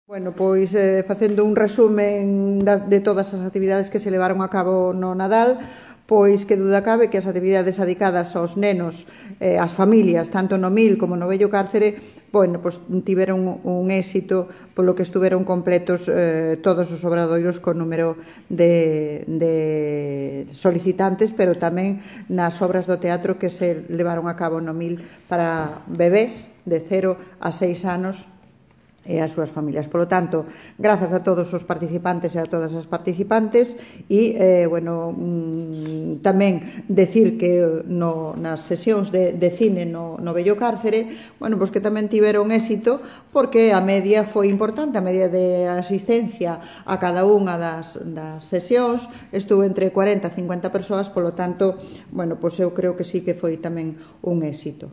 Bueno, pois facendo un resumen de todas as actividades que se levaron a cabo no Nadal, pois que duda cabe que as actividades adicadas aos nenos, ás familias, tanto no Mil como no Vello Cárcere, bueno, pois tiveron un éxito polo que estuveron completos todos os obradoiros con número de solicitantes, pero tamén nas obras do teatro que se levaron a cabo no Mil para bebés de 0 a 6 anos e as súas familias. Por lo tanto, grazas a todos os participantes e a todas as participantes e, tamén decir que nas sesións de cine no Vello Cárcere, pois que tamén tiveron éxito porque a media foi importante, a media de asistencia a cada unha das sesións estuvo entre 40 e 50 persoas, por lo tanto, pois eu creo que sí que foi tamén un éxito.